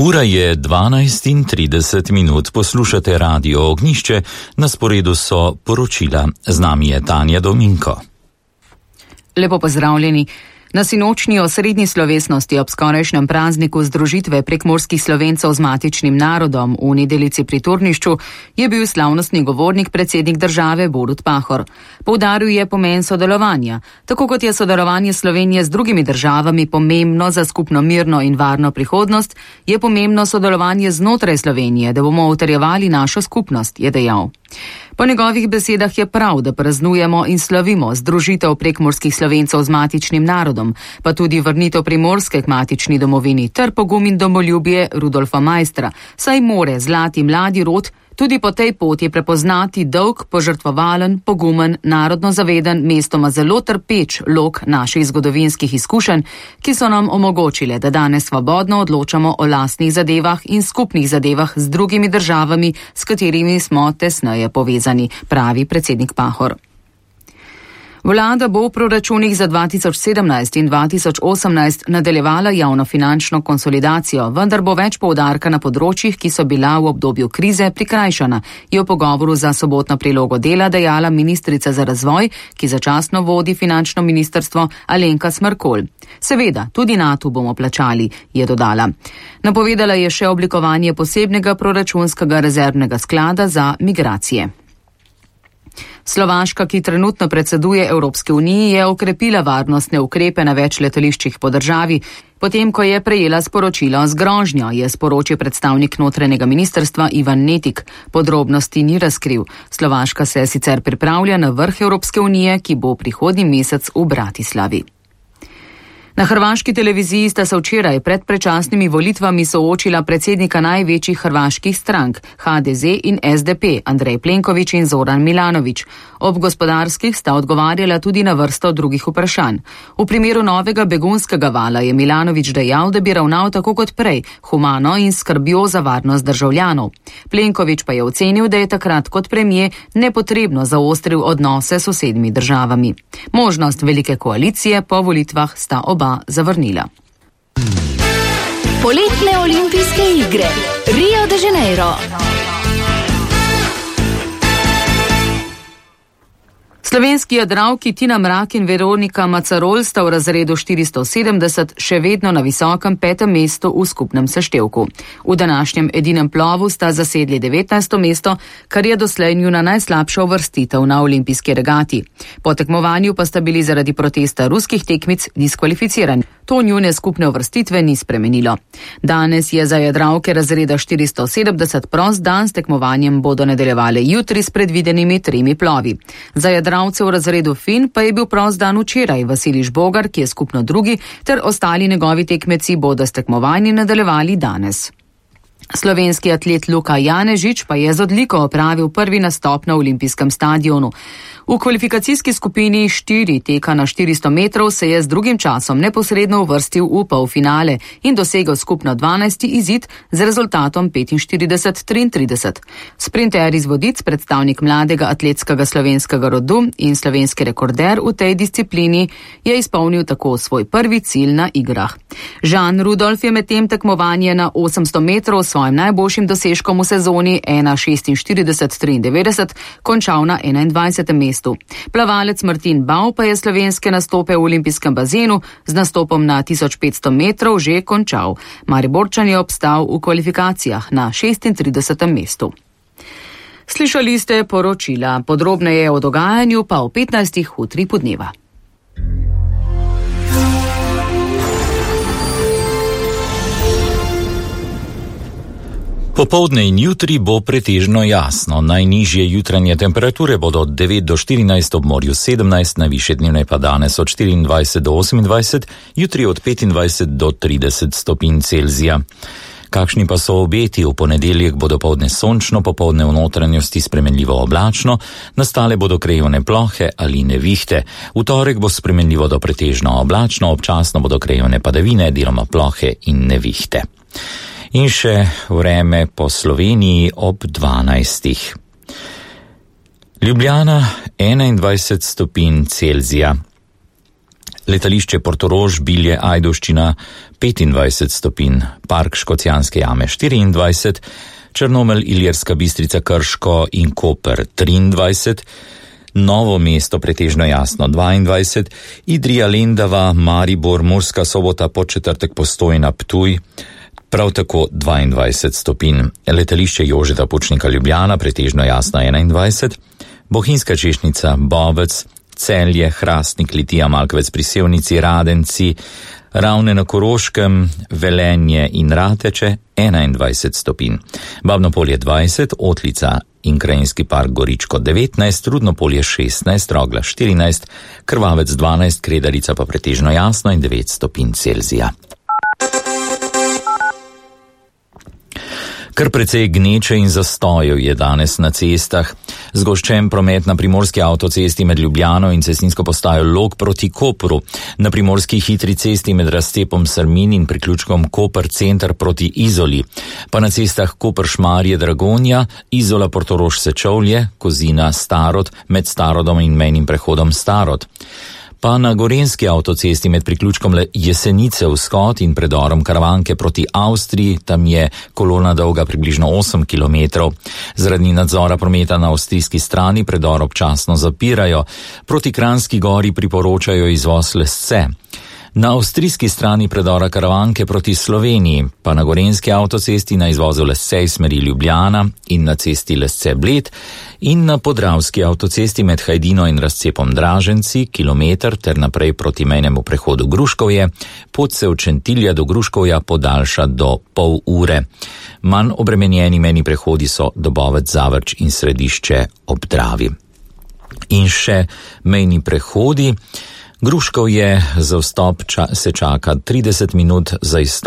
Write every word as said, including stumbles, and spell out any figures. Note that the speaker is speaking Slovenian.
Ura je dvanajst in trideset minut, poslušate Radio Ognjišče, na sporedu so poročila. Z nami je Tanja Dominko. Lepo pozdravljeni. Na sinočnji osrednji slovesnosti ob skorajšnjem prazniku združitve prekmurskih Slovencev z matičnim narodom v Nedelici pri Turnišču je bil slavnostni govornik predsednik države Borut Pahor. Poudaril je pomen sodelovanja. Tako kot je sodelovanje Slovenije z drugimi državami pomembno za skupno mirno in varno prihodnost, je pomembno sodelovanje znotraj Slovenije, da bomo utrjevali našo skupnost, je dejal. Po njegovih besedah je prav, da praznujemo in slavimo združitev prekmurskih Slovencev z matičnim narodom, pa tudi vrnitev Primorske k matični domovini ter pogum in domoljubje Rudolfa Maistra, saj more zlati mladi rod tudi po tej poti prepoznati dolg, požrtvovalen, pogumen, narodno zaveden, mestoma zelo trpeč lok naših zgodovinskih izkušenj, ki so nam omogočile, da danes svobodno odločamo o lastnih zadevah in skupnih zadevah z drugimi državami, s katerimi smo tesneje povezani, pravi predsednik Pahor. Vlada bo v proračunih za dva tisoč sedemnajst in dva tisoč osemnajst nadaljevala javnofinančno konsolidacijo, vendar bo več poudarka na področjih, ki so bila v obdobju krize prikrajšana, je v pogovoru za sobotno prilogo Dela dejala ministrica za razvoj, ki začasno vodi finančno ministrstvo, Alenka Smrkolj. Seveda, tudi NATO bomo plačali, je dodala. Napovedala je še oblikovanje posebnega proračunskega rezervnega sklada za migracije. Slovaška, ki trenutno predseduje Evropske uniji, je okrepila varnostne ukrepe na več letališčih po državi, potem ko je prejela sporočilo z grožnjo, je sporočil predstavnik notranjega ministrstva Ivan Netik. Podrobnosti ni razkril. Slovaška se sicer pripravlja na vrh Evropske unije, ki bo prihodnji mesec v Bratislavi. Na hrvaški televiziji sta se včeraj pred predčasnimi volitvami soočila predsednika največjih hrvaških strank, ha de ze in es de pe, Andrej Plenković in Zoran Milanović. Ob gospodarskih sta odgovarjala tudi na vrsto drugih vprašanj. V primeru novega begunskega vala je Milanović dejal, da bi ravnal tako kot prej, humano in skrbjo za varnost državljanov. Plenković pa je ocenil, da je takrat kot premijer nepotrebno zaostril odnose s sosednjimi državami. Možnost velike koalicije po volitvah sta oba zavrnila. Poletne olimpijske igre Rio de Janeiro. Slovenski jadralki Tina Mrak in Veronika Macarol sta v razredu štiristo sedemdeset še vedno na visokem petem mestu v skupnem seštevku. V današnjem edinem plovu sta zasedli devetnajsto mesto, kar je doslej njuna najslabša uvrstitev na olimpijski regati. Po tekmovanju pa sta bili zaradi protesta ruskih tekmic diskvalificirani. To njune skupne uvrstitve ni spremenilo. Danes je za jadralke razreda štiristo sedemdeset prost dan, s tekmovanjem bodo nadaljevale jutri s predvidenimi tremi plovi. Za jadralce v razredu Fin pa je bil prost dan včeraj. Vasilij Žbogar, ki je skupno drugi, ter ostali njegovi tekmeci bodo s tekmovanji nadaljevali danes. Slovenski atlet Luka Janežič pa je z odliko opravil prvi nastop na olimpijskem stadionu. V kvalifikacijski skupini štiri teka na štiristo metrov se je z drugim časom neposredno uvrstil v polfinale in dosegel skupno dvanajsti izid z rezultatom petinštirideset triintrideset. Sprinter iz Vodic, predstavnik mladega atletskega slovenskega rodu in slovenski rekorder v tej disciplini, je izpolnil tako svoj prvi cilj na igrah. Žan Rudolf je medtem tekmovanje na osemsto metrov s svojim najboljšim dosežkom v sezoni ena šestinštirideset triindevetdeset končal na enaindvajsetem mestu. Plavalec Martin Bau pa je slovenske nastope v olimpijskem bazenu z nastopom na tisoč petsto metrov že končal. Mariborčan je obstal v kvalifikacijah na šestintridesetem mestu. Slišali ste poročila, podrobneje o dogajanju pa o petnajstih utri podneva. Popoldne in jutri bo pretežno jasno. Najnižje jutranje temperature bodo od devet do štirinajst, ob morju sedemnajst, najvišje dnevne pa danes od štiriindvajset do osemindvajset, jutri od petindvajset do trideset stopinj Celzija. Kakšni pa so obeti? V ponedeljek bodo popoldne sončno, popoldne v notranjosti spremenljivo oblačno, nastale bodo krajevne plohe ali nevihte. V torek bo spremenljivo do pretežno oblačno, občasno bodo krajevne padavine, deloma plohe in nevihte. In še vreme po Sloveniji ob dvanajstih. Ljubljana enaindvajset stopinj Celzija. letališče Portorož, Bilje, Ajdovščina petindvajset stopinj, Park Škocjanske jame štiriindvajset, Črnomelj, Ilirska Bistrica, Krško in Koper triindvajset, Novo mesto pretežno jasno dvaindvajset, Idrija, Lendava, Maribor, Murska Sobota, Podčetrtek, Postojna, Ptuj, prav tako dvaindvajset stopinj. Letališče Jožeta Pučnika, Ljubljana, pretežno jasno enaindvajset, Bohinjska Češnjica, Bovec, Celje, Hrastnik, Litija, Malkovec pri Sevnici, Radenci, Ravne na Koroškem, Velenje in Rateče enaindvajset stopinj. Babno Polje dvajset, Otlica in Krajinski park Goričko devetnajst, Rudno Polje šestnajst, Rogla štirinajst, Krvavec dvanajst, Kredarica pa pretežno jasno in devet stopinj Celzija. Kar precej gneče in zastojev je danes na cestah. Zgoščen promet na primorski avtocesti med Ljubljano in cestninsko postajo Log proti Kopru, na primorski hitri cesti med razcepom Srmin in priključkom Koper center proti Izoli, pa na cestah Koper-Šmarje, Dragonja, Izola, Portorož, Sečovlje, Kozina, Starod, med Starodom in mejnim prehodom Starod. Pa na gorenski avtocesti med priključkom Jesenice vzhod in predorom Karavanke proti Avstriji, tam je kolona dolga približno osem kilometrov. Zaradi nadzora prometa na avstrijski strani predor občasno zapirajo, proti Kranjski gori priporočajo izvoz Lesce. Na avstrijski strani predora Karavanke proti Sloveniji, pa na gorenski avtocesti na izvozu Lesce iz smeri Ljubljana in na cesti Lesce-Bled in na podravski avtocesti med Hajdino in razcepom Draženci, kilometr ter naprej proti mejnemu prehodu Gruškovje, pot se od Šentilja do Gruškovja podaljša do pol ure. Manj obremenjeni mejni prehodi so Dobovec, Zavrč in Središče ob Dravi. In še mejni prehodi. Gruškovje za vstop ča, se čaka trideset minut, za izstop